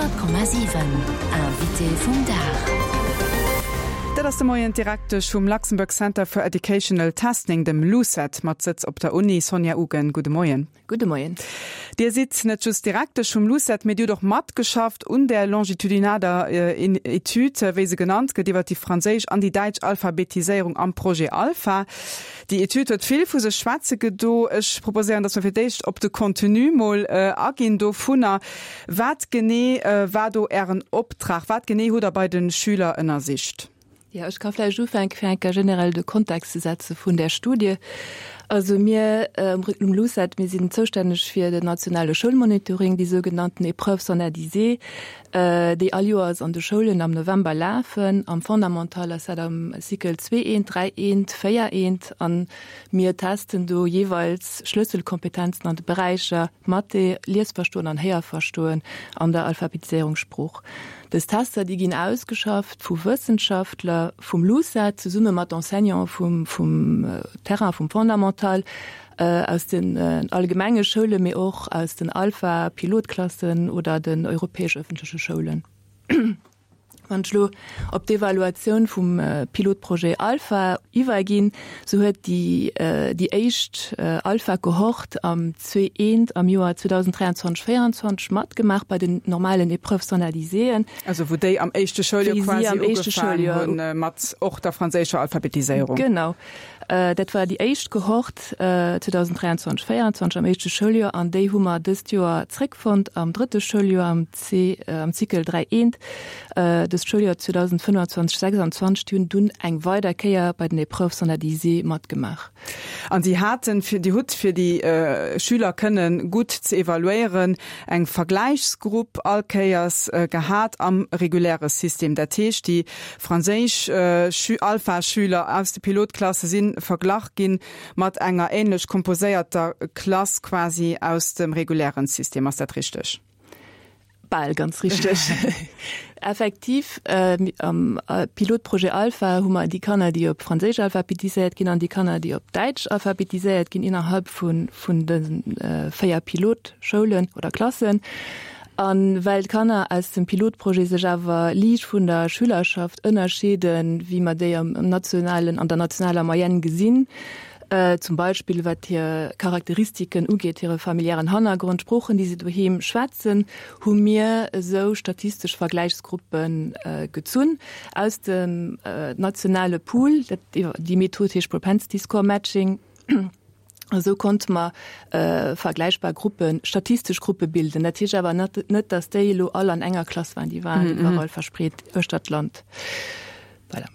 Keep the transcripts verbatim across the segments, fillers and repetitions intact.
Honnert Komma siwen, Invité vum Dag. Dat ass de Moien d'Direktesch vum Luxembourg Center for Educational Testing, dem LUCET, mat Sëtz op der Uni, Sonja Ugen. Gudde Moien. Gudde Moien. Dir sidd net just Direktesch vum LUCET, mee Dir hutt och matgeschafft un där longitudinaler Etüd, wéi se genannt gëtt, iwwer déi franséisch an déi däitsch Alphabetiséierung am Projet Alpha. Déi Etüd huet vill vu sech schwätze gedo. Ech proposéieren, dass mer fir d'éischt op de Contenu mol aginn dovunner. Wat genee war do Ären Optrag? Wat genee hutt Der bei de Schüler ënnersicht? Jo, ech ka vläicht ufänken, fir eng Kéier generell de Kontext ze setze vun där Studie. Also mir um LUCET, mir sinn zoustänneg fir den nationale Schoulmonitoring, déi sougenannten Épreuves standardisées, déi all Joers an de Schoulen am November lafen. Am Fondamental ass dat am Cycle zwee eent, dräi eent, véier eent. A mir testen do jeeweils Schlësselkompetenzen an de Beräicher Mathé, Liesverstoen an Héierverstoen an der Alphabetiséierungssprooch. Dës Tester, déi ginn ausgeschafft vu Wëssenschaftler vum LUCET zesumme mat Enseignante vum, vum Terrain, vum Fondamental, aus den allgemenge Schoulen, mee och aus den Alpha-Pilotklassen oder den europäesch-ëffentleche Schoulen. Wann ech elo op d'Evaluatioun vum Pilotprojet Alpha iwwerginn, sou huet déi déi éischt Alpha-Kohort am zwee eent am Joer zweedausenddräianzwanzeg véieranzwanzeg matgemaach bei den normalen Épreuves standardiséeën. Also wou déi am éischte Schouljoer quasi ugefaangen hunn mat och der franséischer Alphabetiséierung. Genau. Dat war déi éischt Kohort zweedausenddräianzwanzeg véieranzwanzeg am éischte Schouljoer an déi hu mer dëst Joer zréckfonnt am drëtte Schouljoer am C, am Cycle dräi eent, dëst Schouljoer zweedausendfënnwanzwanzeg sechsanzwanzeg. Déi hunn dunn eng weider Kéier bei den Épreuves standardisées matgemaach. An si haten, fir, Dir hutt, fir déi Schüler kënne gutt ze evaluéieren, eng Vergläichsgrupp all Kéiers gehat am reguläre System. Dat heescht, déi franséisch Alpha-Schüler aus de Pilotklasse si verglach gi mat enger änlech komposéierter Klass quasi aus dem regulären System. Ass dat richteg? Bal ganz richteg. Effektiv, am Pilotprojet Alpha hu mer déi Kanner, déi op Franséisch alphabetiséiert ginn an déi Kanner, déi op Däitsch alphabetiséiert ginn, innerhalb vun de véier Pilotschoulen oder Klassen. A well d'Kanner aus dem Pilotprojet sech awer liicht vun der Schülerschaft ënnerscheeden, wéi mer déi am nationalen, an der nationaler Moyenne gesinn, zum Beispill wat hir Charakteristiken ugeet, hire familiären Hannergrond, d'Sproochen, déi se doheem schwätzen, hu mir esou statistesch Vergläichsgruppe gezunn aus dem nationale Pool. Déi Method heescht Propensity Score Matching. Esou konnte mer vergläichbar Gruppen, statistesch Gruppe bilden. Dat heescht awer net, datt déi elo all an enger Klass waren, déi waren iwwerall verspreet uechter d'Land. Voilà.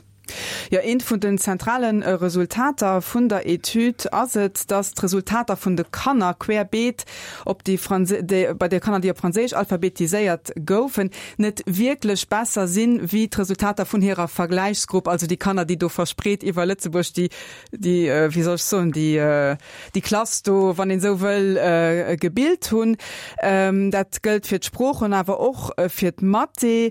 Jo, eent vun den zentrale Resultater vun der Etüd ass et, dass d'Resultater vun de Kanner querbeet op déi déi bei de Kanner, déi op Franséisch alphabetiséiert goufen, net wierklech besser sinn, wéi d'Resultater vun hirer Vergläichsgrupp, also déi Kanner, déi do verspreet iwwer Lëtzebuerg déi, déi, wéi soll ech soen, déi, déi Klass do, wann een esou wëll, gebilt hunn. Dat gëllt fir d'Sproochen, awer och fir d'Mathé.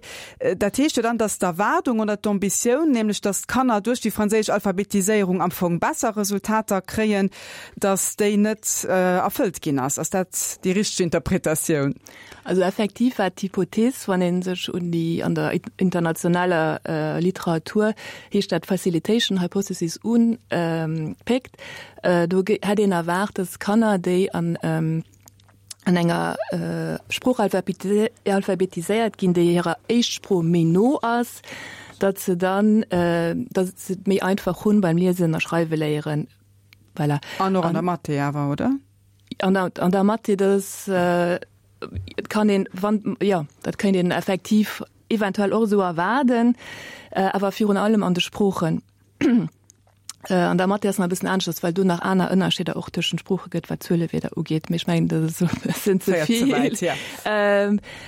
Dat heescht jo dann, dass d'Erwaardung oder d'Ambitioun, nämlech dass d'Kanner duerch déi franséisch Alphabetiséierung am Fong besser Resultater kréien, dass déi net erfëllt ginn ass. Ass dat déi richteg Interpretatioun? Also effektiv war d'Hypothees, wann ee sech un déi an der internationaler Literatur heescht dat Facilitation Hypothesis unpéckt, do hätt een erwaart, dass Kanner, déi an an enger Sprooch alphabetiséiert ginn, déi hirer Éischtsprooch méi no ass, datt se dann, datt se et méi einfach hunn beim Liesen a Schreiwe léieren. Voilà. An och an der Mathé awer, oder? An der, an der Mathé, dat ass, et kann een, wann, jo, dat kéint een effektiv eventuell och esou erwaarden, awer virun allem an de Sproochen. An der Mathé ass nach e bëssen aneschters, well do nach aner Ënnerscheeder och tëschent Sprooche gëtt, wat d'Zuelewierder ugeet. Mee ech mengen, dat ass elo e bëssen ze vill. Féiert ze wäit, ja.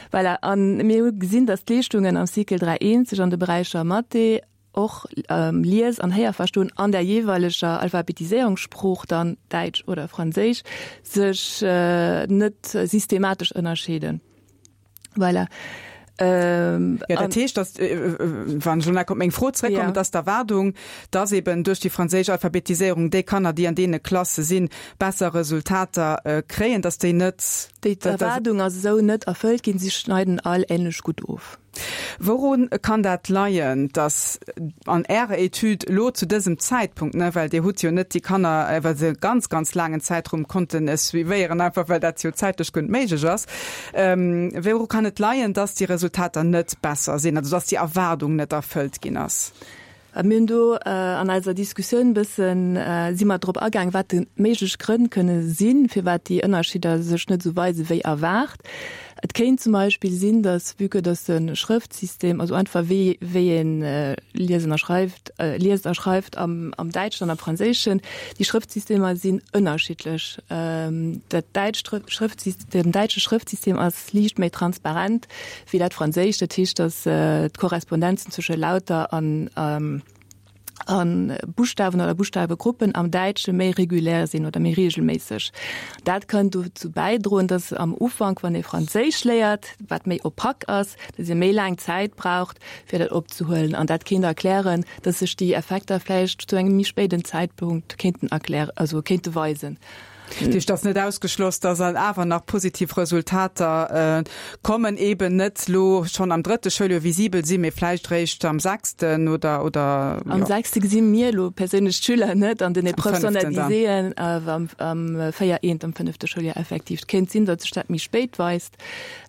Voilà. A mir hu gesinn, datt d'Leeschtungen am Cycle dräi eent sech an de Beräicher Mathé, och Lies an Héierverstoen an der jeeweileger Alphabetiséierungssprooch, dann Däitsch oder Franséisch, sech net systematesch ënnerscheeden. Voilà. Ähm, ja, dat heescht, dass, äh, äh, wann ech elo nach op meng Fro zréckkommen, ja. dass d'Erwaardung, dass eben duerch déi franséisch Alphabetiséierung déi Kanner, déi an deene Klasse sinn, besser Resultater äh, kréien, dass déi net. Déi Erwaardung ass esou net erfëllt ginn, si schneiden all änlech gutt of. Wourun kann dat leien, dass an Ärer Etüd elo zu dësem Zäitpunkt, ne, well Dir hutt jo net déi Kanner iwwer e ganz, ganz laangen Zäitraum konnten suivéieren, einfach well dat jo zäitlech guer net méiglech ass, wouru kann et leien, dass déi Resultater net besser sinn, also dass déi Erwaardung net erfëllt ginn ass? Mir hunn do an eiser Diskussioun e bëssen, si mer drop agaang, wat déi méiglech Grënn kënne sinn, firwat déi Ënnerscheeder sech net esou weise wéi erwaart. Et kéint zum Beispill sinn, dass, vue que dass de Schrëftsystem, also einfach wéi wéi ee liesen a schreift, liest a schreift am am Däitschen an am Franséischen, déi Schrëftsystemer sinn ënnerschiddlech. Dat däitscht Schrëftsystem, den däitsche Schrëftsystem ass liicht méi transparent wéi dat franséischt. Dat heescht, dass d'Korrespondenzen zwësche Lauter an a Buschtawen oder Buschtawegruppen am Däitsche méi regulär sinn oder méi reegelméisseg. Dat kann dozou bäidroen, dass am Ufank, wann ee Franséisch léiert, wat méi opaque ass, dass ee méi laang Zäit braucht, fir dat opzehuelen. An dat kéint erklären, dass sech déi Effekter vläicht zu engem méi spéiden Zäitpunkt kéinten erklären, also kéinte weisen. Dat heescht, et ass net ausgeschloss, dass awer nach positiv Resultater kommen, eben net elo schonn am drëtte Schouljoer visibel sinn, mee vläicht eréischt am sechsten oder, oder, jo. Am sechste gesi mir elo perséinlech d'Schüler net an den Épreuves standardiséeën, awer am véier eent, am fënnefte Schouljoer effektiv. Et kéint sinn, datt sech dat méi spéit weist.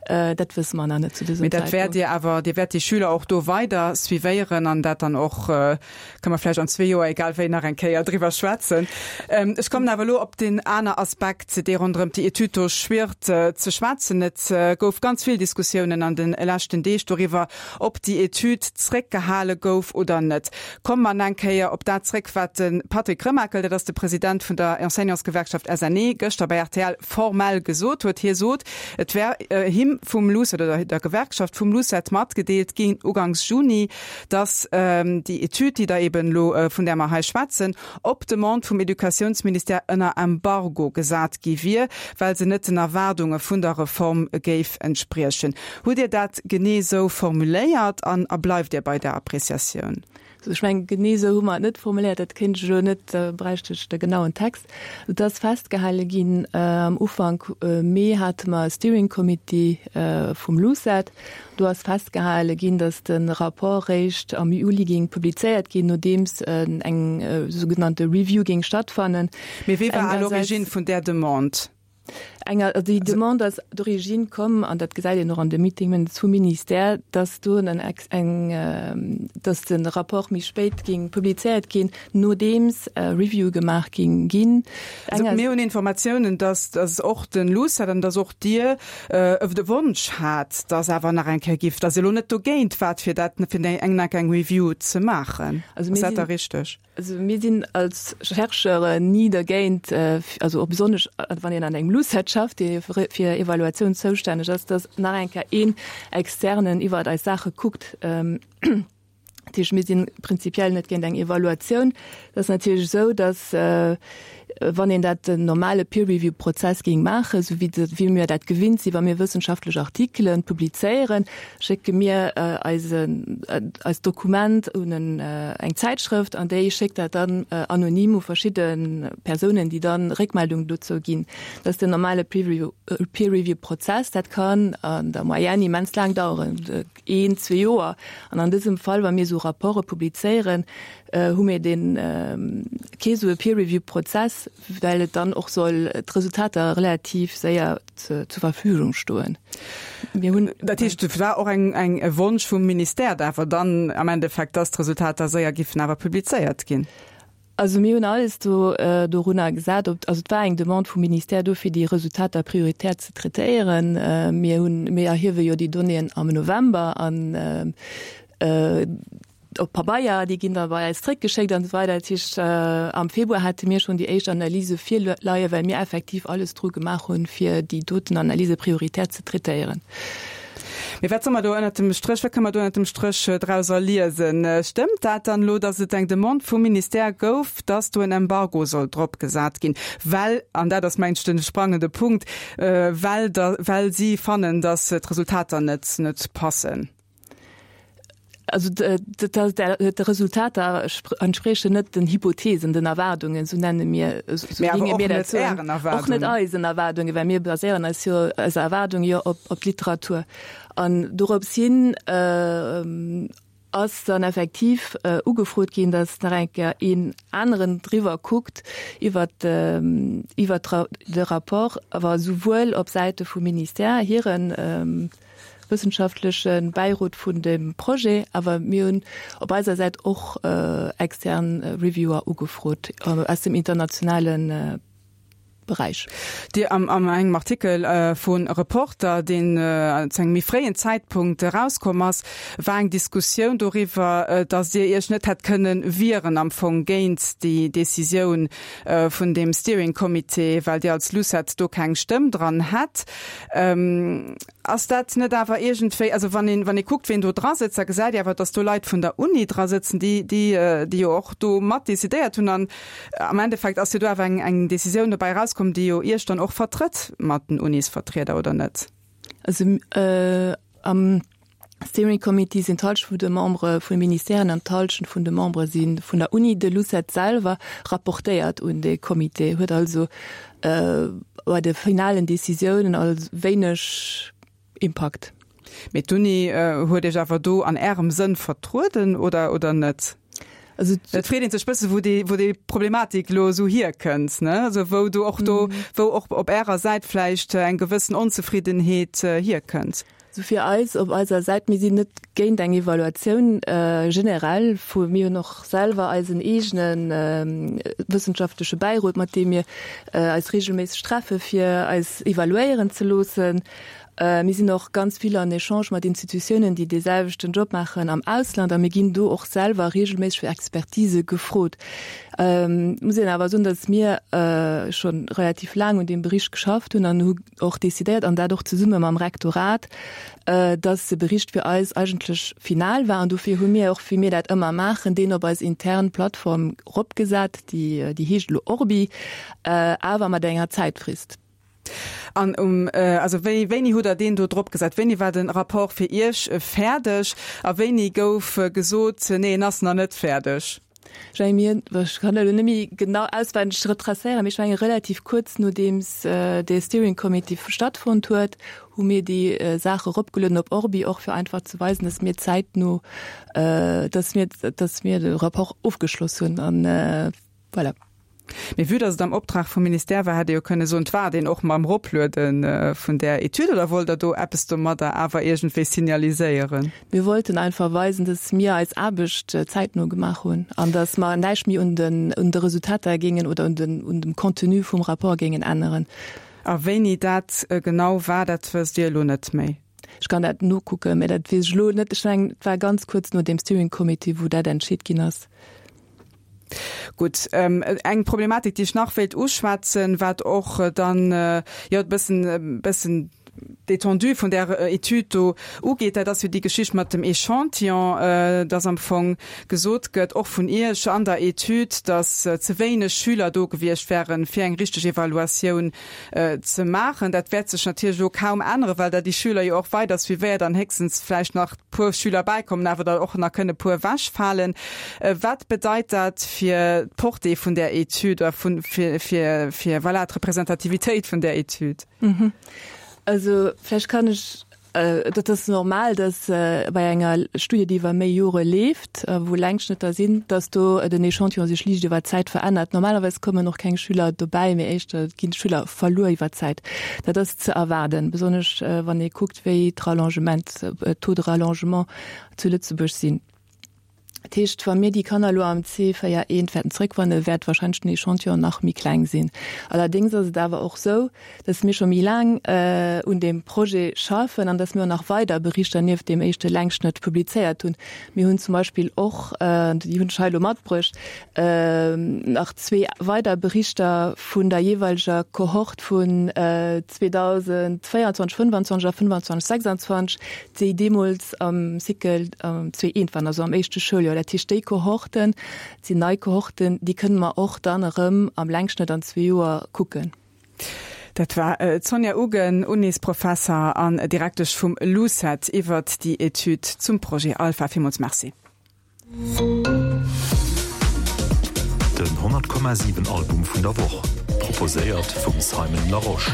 Dat wësse mer nach net zu dësem Mee dat wäert Zäitpunkt. Dir awer, Dir wäert déi Schüler och do weider suivéieren an dat dann och, kënne mer vläicht an zwee Joer, egal wéi, nach eng Kéier driwwer schwätzen. Ech kommen awer elo op deen aner Aspekt, dee ronderëm déi Etüd do schwirrt, ze schwätzen. Et gouf ganz vill Diskussiounen an de leschten Deeg doriwwer, ob déi Etüd zréckgehale gouf oder net. Komme mer nach eng Kéier op dat zréck, wat de Patrick Remakel, dat ass de President vun der Enseignantsgewerkschaft S N E, gëschter bei R T L formell gesot huet. Hie sot, et wär him vum LUCET oder der Gewerkschaft vum LUCET matgedeelt ginn ugangs Juni, datt déi Etüd, déi Der eben elo, vun där mer hei schwätzen, op Demande vum Educatiounsministère ënner Embargo gesat gi wier, well se net den Erwaardunge vun der Reform géif entspriechen. Hutt Dir dat genee esou formuléiert an a bleift Dir bei där Appreciatioun? Also ech mengen, genee esou hu mer et net formuléiert, dat kéint ech elo net, da bräicht ech de genauen Text. Et ass festgehale ginn, am Ufank Mee hate mer e Steering Committee vum LUCET, do ass festgehale ginn, datt de Rapport réischt am Juli géing publizéiert ginn, nodeems eng sougenannte Review géing stattfannen. Mee wie war à l'origine vun där Demande? Enger, also déi Demande ass d'origine komm, an dat gesäit een och an de Meeting Minutes vum Ministère, dass do en eng, dass de Rapport méi spéit géing publizéiert ginn, nodeems e Review gemaach géing ginn. Also mir hunn Informatiounen, dass, dass och de LUCET an dass och Dir de Wonsch hat, dass awer nach eng Kéier giff, dass Dir elo net dogéint waart, fir dat, fir eng eng Review ze maachen. Also Ass mir dat da sinn. richteg? Also mir sinn als Chercheuren ni dergéint, also och besonnesch wann een an engem LUCET schafft, dee fir Evaluatioun zoustänneg ass, datt nach eng Kéier een Externen iwwert eis Saache kuckt. Dat heescht, mir si prinzipiell net géint eng Evaluatioun. Et ass natierlech esou, datt wann een dat den normale Peer-Review-Prozess géing maachen, esou wéi wéi mir dat gewinnt sinn, wa mir wëssenschaftlech Artikelen publizéieren, schécke mir eisen eist Dokument un en eng Zäitschrëft an déi schéckt dat dann anonym u verschidde Persounen, déi dann Réckmeldung dozou ginn. Dat ass den normale Peer-Review-Prozess. Dat kann an der Moyenne immens laang daueren, een, zwee Joer. An an dësem Fall, wa mir esou Rapporte publizéieren, hu mir dee kee sou e Peer-Review-Prozess, well et dann och soll d'Resultater relativ séier zur Verfügung stoen. Mir hunn. Dat heescht, et war och eng, eng, e Wonsch vum Ministère awer dann am Endeffekt, dass d'Resultater séier giffen awer publizéiert ginn? Also mir hunn alles do dorunner gesat, ob, also et war eng Demande vum Ministère do, fir déi Resultater prioritär ze traitéieren. Mir hunn, mir erhiewe jo déi Donnéeën am November an op Pabeier, déi ginn da bei eis zréckgeschéckt an esou weider. Dat heescht, am Februar hate mir schonn déi éischt Analyse virleien, well mir effektiv alles dru gemaach hunn, fir déi doten Analyse prioritär ze traitéieren. Mee wat soll mer do ënnert dem Stréch, wat kënne mer do ënnert dem Stréch drauser liesen? Stëmmt dat dann elo, datt et eng Demande vum Ministère gouf, datt do en Embargo soll drop gesat ginn, well, an dat ass mengen ech de sprangende Punkt, well da, well si fannen, datt d'Resultater net, net passen? Also d'Resultater entspriechen net den Hypothesen, den Erwaardungen, sou nenne mir, sou géinge mir dat soen. Och net eisen Erwaardungen, well mir baséieren eis jo, eis Erwaardung jo op, op d'Literatur. An dorops hin ass dann effektiv ugefrot ginn, datt nach eng Kéier een aneren driwwer kuckt iwwert, iwwert de Rapport, awer souwuel op Säite vum Ministère hiren, wëssenschaftleche Bäirot vun dem Projet, awer mir hunn op eiser Säit och extern Reviewer ugefrot aus dem internationale Beräich. Dir am an engem Artikel vu Reporter, deen zu engem méi fréien Zäitpunkt erauskomm ass, war eng Diskussioun doriwwer, datt Dir Iech net hätt kënnen wieren am Fong géint déi Decisioun vun deem Steering Comité, well Dir als LUCET do keng Stëmm dran hätt. Ass dat net awer iergendwéi, also wann een, wann ee kuckt, ween do dra sëtzt, da gesäit ee awer, datt do Leit vun der Uni dra sëtzen, déi, déi, déi jo och do mat decidéiert hunn. An am Endeffekt ass jo do awer eng, eng Decisioun dobäi erauskomm, déi jo Iech dann och vertrëtt mat den Unisvertrieder, oder net? Also am Steering Committee sinn d'Hallschent vun de Membere vun de Ministèren an d'Hallschent vun de Membere si vun der Uni. De LUCET selwer rapportéiert un dee Comité, huet also bei de finalen Decisiounen also wéineg Impakt. Mee d'Uni huet Iech awer do an Ärem Sënn vertrueden, oder, oder net? Also et freet een sech bësse wou déi, wou déi Problematik elo esou hierkënnt, ne? Also wou do och do, wou och op Ärer Säit vläicht eng gewëssen Onzefriddenheet hierkënnt. Also fir eis op eiser Säit, mir sinn net géint eng Evaluatioun generell vu, mir hunn och selwer eisen eegene wëssenschaftleche Bäirot, mat deem mir eis reegelméisseg treffe fir eis evaluéieren ze loossen. Mir sinn och ganz vill an Echange mat Institutiounen, déi dee selwechten Job maachen am Ausland, a mir ginn do och selwer reegelméisseg fir Expertise gefrot. Et muss een awer soen, datt mir scho relativ laang un deem Bericht geschafft hunn an hu och decidéiert, an dat och zesumme mam Rektorat, datt de Bericht fir eis eigentlech final war. An dofir hu mir och, wéi mir dat ëmmer maachen, deen op eis intern Plattform eropgesat, déi heescht elo Orbi, awer mat enger Zäitfrist. An um, also wéi, wéini hutt Der deen do drop gesat? Wéini war den Rapport fir Iech fäerdeg a wéini gouf gesot, nee, en ass nach net fäerdeg? Ech menge mir, ech kann elo net méi genau auswenneg retracéieren, mee ech menge relativ kuerz nodeems dee Steering Committee stattfonnt huet, hu mir déi Saach eropgelueden op Orbi, och fir einfach ze weisen, dass mir zäitno, dass mir, dass mir de Rapport ofgeschloss hunn. An voilà. Mee vue dass et am Optrag vum Ministère war, hätt ee jo kënne soen, et waart een och mam Eropluede vun där Etüd. Oder wollt Der do eppes domadder awer iergendwéi signaliséieren? Mir wollten einfach weisen, dass mir eis Aarbecht zäitno gemaach hunn an dass mer näischt méi un den, un de Resultater géingen oder un den, un dem Contenu vum Rapport géingen änneren. A wéini dat genau war, dat wësst Dir elo net méi? Ech kann dat nokucken, mä dat weess ech elo net. Ech mengen, et war ganz kuerz no deem Steering Committee, wou dat entscheet ginn ass. Gutt, eng Problematik, déi ech nach wéilt uschwätzen, wat och dann, jo, e bëssen, e bëssen d'Étendue vun där Etüd do ugeet, dat ass jo déi Geschicht mat dem Échantillon, dass am Fong gesot gëtt, och vun Iech an der Etüd, dass ze wéineg Schüler do gewiescht wären, fir eng richteg Evaluatioun ze maachen. Dat wäert sech natierlech elo kaum änneren, well Der déi Schüler jo och weider suivéiert an héchstens vläicht nach puer Schüler bäikommen, awer der och nach kënne puer ewechfalen. Wat bedeit dat fir d'Portée vun där Etüd oder vun, fir, fir, fir, voilà, d'Representativitéit vun där Etüd? Also vläicht kann ech, dat ass normal, datt bei enger Studie, déi iwwer méi Jore leeft, wou Längschnëtter sinn, datt do den Echantillon sech liicht iwwer d'Zäit verännert. Normalerweis kommen och keng Schüler dobäi, mee éischter ginn d'Schüler verluer iwwer d'Zäit. Dat ass ze erwaarden, besonnesch wann ee kuckt, wéi d'Rallongement, d'Taux de rallongement zu Lëtzebuerg sinn. Dat heescht, wa mir déi Kanner elo am C véier eent wäerten zréckwannen, wäert wahrscheinlech den Echantillon nach méi kleng sinn. Allerdéngs ass et awer och esou, dass mir scho méi laang un deem Projet schaffen an dass mir och nach weider Berichter nieft deem éischte Längschnëtt publizéiert hunn. Mir hunn zum Beispill och, déi hunn ech hei elo matbruecht, nach zwee weider Berichter vun der jeeweileger Kohort vun zweedausendvéierundzwanzeg, fënnwandzwanzeg a fënnwandzwanzeg, sechsandzwanzeg, déi deemools am Cycle zwee eent waren, also am éischte Schouljoer. Dat heescht, déi Kohorten, dat sinn nei Kohorten, déi kënne mer och dann erëm am Längschnëtt an zwee Joer kucken. Dat war d'Sonja Ugen, Unisprofesser an Direktesch vum LUCET iwwert déi Etüd zum Projet Alpha. Villmools Merci. Den honnert Komma siwen Album vun der Woch, proposéiert vum Simon Larosche.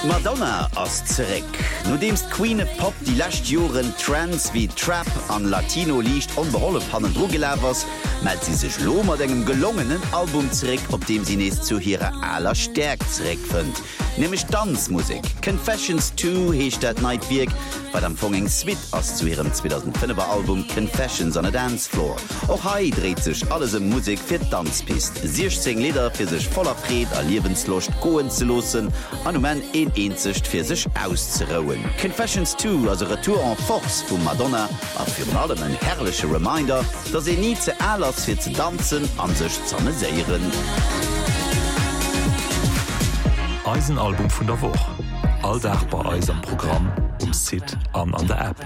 D'Madonna ass zeréck! Nodeems d'Queen of Pop déi lescht Joren Trends wéi Trap an Latino liicht onbehollef hannendru gelaf ass, mellt si sech elo mat engem gelongenen Album zeréck, op deem si nees zu hirer aler Stäerkt zeréckfënnt, nämlech d'Danzmusek. Confessions Two heescht dat neit Wierk, wat am Fong eng Suite ass zu hirem zweedausendfënnef er Album Confessions on a Dance Floor. Och hei dréit sech alles ëm Musek fir d'Danzpist, siechzéng Lidder fir sech voller Freed a Liewensloscht goen ze loossen an um Enn een eenzegt fir sech auszerouen. Confessions Two ass e Retour en force vum Madonna a virun allem en herrleche Reminder, dass een ni ze al ass fir ze danzen an sech z'ameséieren. Eisen Album vun der Woch, all Dag bei eis am Programm, um Site an an der App.